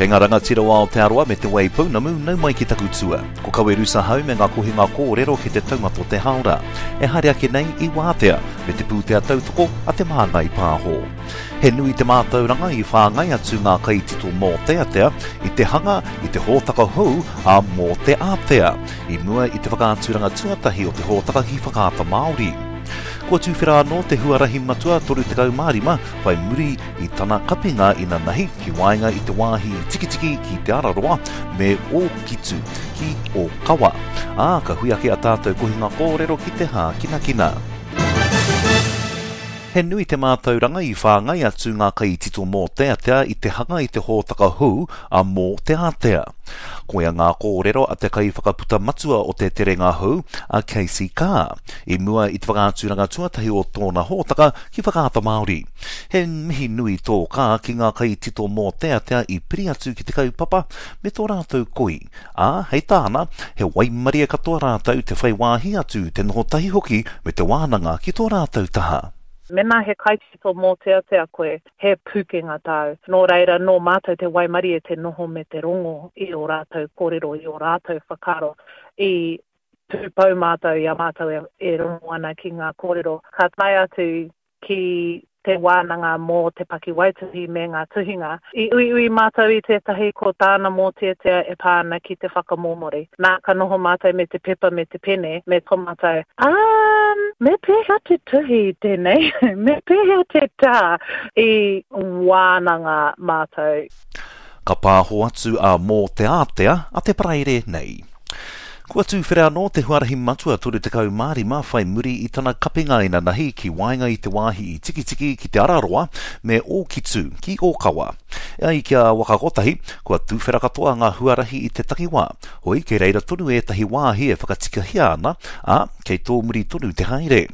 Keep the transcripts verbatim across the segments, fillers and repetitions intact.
Kei ngā rangatira o Aotearoa me Te Waipounamu, nau mai ki taku tua. Ko Kawerusa hau me ngā kohinga kōrero ki te taumata o te hāora. E haere ake nei i wātea me te pūtea tautoko a Te Māngai Pāho. He nui te mātauranga i whāngai atu ngā kaitito mōteatea i te hanga i te hōtaka hou a Mō Te Ātea i mua i te whakaaturanga tuatahi o te hōtaka ki Whakaata Māori. Kua tuwhera anō te huarahi matua toru tekau mā rima whai muri i tana kapinga inanahi ki waenga i te wāhi Tikitiki ki Te Araroa me Ōkitu ki Ōkawa. Ā, ka hui ake a tātou kohinga kōrero ki te hākinakina. He nui te mātauranga i whāngai atu ngā kaitito mōteatea i te hanga i te hōtaka hou a Mō Te Ātea. Koia ngā kōrero a te kaiwhakaputa matua o te terenga hou, a Casey Carr, i mua i te whakaaturanga tuatahi o tōna hōtaka ki Whakaata Māori. He mihi nui tō Carr ki ngā kaitito mōteatea i piri atu ki te kaupapa me tō rātou koi, ā, hei tāna, he waimarie katoa rātou te whai wāhi atu, te noho tahi hoki me te wānanga ki tō rātou taha. Mēnā he kaitito mōteatea koe, he pūkenga tāu. Nō reira, nō mātou te waimarie te noho me te rongo i ō rātou kōrero, i ō rātou whakaaro. I tūpou mātou i a mātou e, e rongo ana ki ngā kōrero. Ka tae atu ki te wānanga mō te pakiwaituhi me ngā tuhinga. I uiui mātou i tētahi ko tāna mōteatea e pā ana ki te whakamōmori. Nā, ka noho mātou me te pepa me te pene, me tō mātou, um, me pēhea te tuhi tēnei, me pēhea te tā, i wānanga mātou. Ka pāho atu a Mō Te Ātea a te Paraire nei. Kua tuwhera anō te huarahi matua toru tekau mā rima whai muri i tana kapinga inanahi ki waenga i te wāhi i Tikitiki ki Te Araroa me Ōkitu ki Ōkawa. E ai ki a Waka Kotahi, kua tuwhera katoa ngā huarahi i te takiwā, hoi kei reira tonu ētahi wāhi e whakatikahia ana, ā, kei tō muri tonu te haere.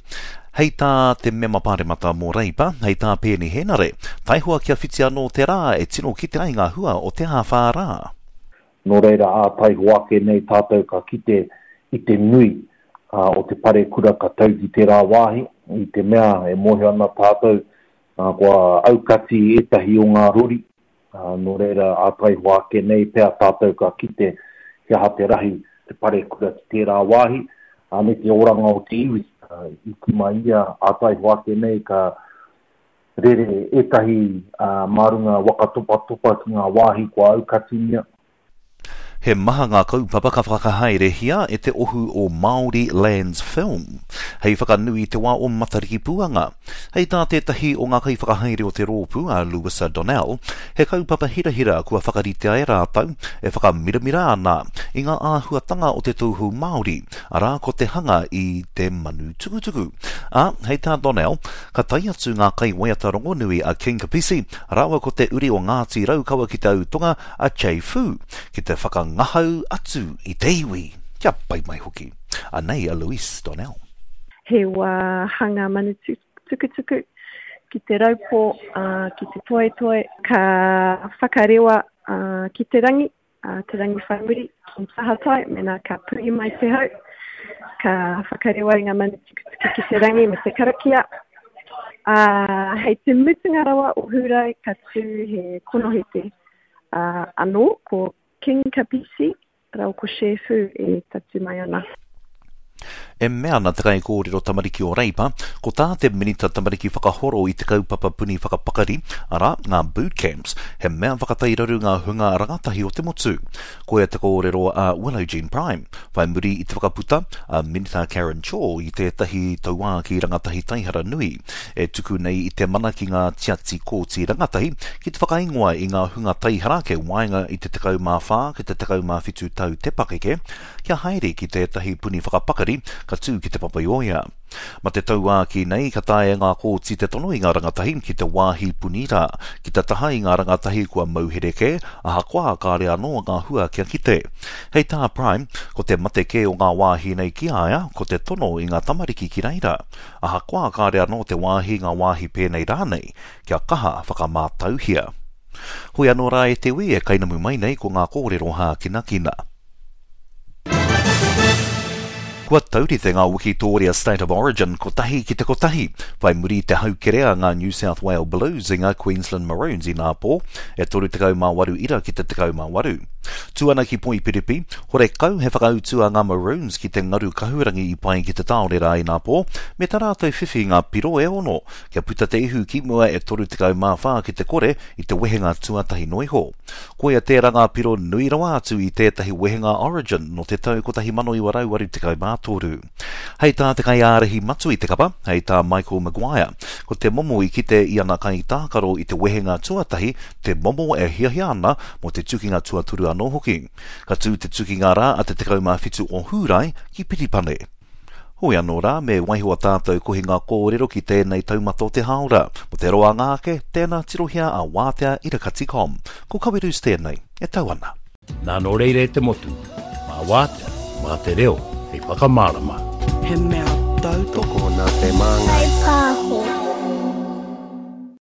Hei tā te mema pāremata mō Reipa, hei tā Peeni Henare, taihoa kia whiti anō te rā e tino kite ai ngā hua o te āwhā rā. Nō reira ā taihoa ake nei tātou ka kite i te nui uh, o te parekura ka tau ki tērā wāhi, i te mea e mōhio ana tātou uh, kua aukati ētahi o ngā rori, uh, nō reira ā taihoa ake nei pea tātou ka kite he aha te rahi te parekura ki tērā wāhi, uh, me te oranga o te iwi. Uh, i tima ia ā taihoa ake nei ka rere ētahi uh, mā runga waka topatopa ki ngā wāhi kua aukatingia. He maha ngā kaupapa ka whakahaerehia e te ohu o Māori Lands Film, hei whakanui i te wā o Matariki Puanga. Hei tā tētahi o ngā kaiwhakahaere o te rōpū, a Louisa Donnell, he kaupapa hirahira kua whakaritea e rātou e whakamiramira ana i ngā āhuatanga o te tauhou Māori, arā ko te hanga i te manu tukutuku. Ā, hei tā Donnell, ka tae atu ngā kaiwaiata rongonui a King Kapisi, rāua ko te uri o Ngāti Raukawa ki te Autonga a Che Fu, ki te whakangahau atu i te iwi. Kia pai mai hoki. Anei a Louise Donnell. He wā hanga manu tukutuku ki te raupo, uh, ki te toetoe, ka whakarewa uh, ki te rangi, uh, te rangi whaimuri, ki tahatai, mena ka puhi mai te hau, ka whakarewa i ngā manu tukutuku ki te rangi me te karakia. Uh, hei te mutunga rawa o Hūrae ka tū he konohete uh, anō, ko King Kapisi, rau ko Che Fu e tatu mai ana. E mea ana te kaikōrero tamariki o Reipa, ko tā te minita tamariki whakahoro i te kaupapa puni whakapakari, arā, ngā boot camps, he mea whakatairaru ngā hunga rangatahi o te motu. Koia te kōrero a Willow Jean Prime, whai muri i te whakaputa a Minita Karen Chor i tētahi tauākī rangatahi taihara nui, e tuku nei i te mana ki ngā tiati kōti rangatahi ki te whakaingoa i ngā hunga taihara kei waenga i te tekau mā whā ki te tekau mā whitu tau te pakeke, kia haere ki tētahi puni whakapakari ka tū ki te Papaioea. Ma te tauākī nei ka taea ngā kōti te tono i ngā rangatahi ki te wāhi puni rā, ki te taha i ngā rangatahi kua mauhere kē, ahakoa kāre anō ngā hua kia kite. Hei tā Prime, ko te mate kē o ngā wāhi nei ki aia, ko te tono i ngā tamariki ki reira. Ahakoa kāre anō te wāhi ngā wāhi pēnei rānei, kia kaha whakamātauhia. Hoi anō rā e te ui e kainamu mai nei ko ngā kōrero hākinakina. Kua taurite ngā Wikitoria State of Origin kotahi ki te kotahi, whai muri i te haukerea ngā New South Wales Blues i ngā Queensland Maroons i nāpō, e toru tekau mā waru ira ki te tekau mā waru. Tū ana ki Poipiripi, horekau he whakautu a ngā Maroons ki te ngaru kahurangi i pai ki te tāone rā i nāpō, me tā rātou whiwhi ngā piro e ono, kia puta te ihu ki mua e toru tekau mā whā ki te kore i te wehenga tuatahi noa iho. Koia tērā ngā piro nui rawa atu i tētahi wehenga Origin nō te tau kotahi mano iwa rau waru tekau mā toru. Hei tā te kaiārahi matua i te kapa, hei tā Michael Maguire, ko te momo i kite i ana kaitākaro i te wehenga tuatahi te momo e hiahia ana mō te tukinga tuatoru anō hoki. Ka tū te tukinga rā a te tekau mā whitu o Hūrae ki Piripane. Hoi anō rā, me waiho a tātou kohinga kōrero ki tēnei taumata o te hāora. Mō te roanga ake, tēnā tirohia a wātea irakati com. Ko Kawerus tēnei, e tau ana. Nā nō reira e te motu, mā wātea, mā te reo, hei whakamārama. He mea tautoko Tokona te māngai.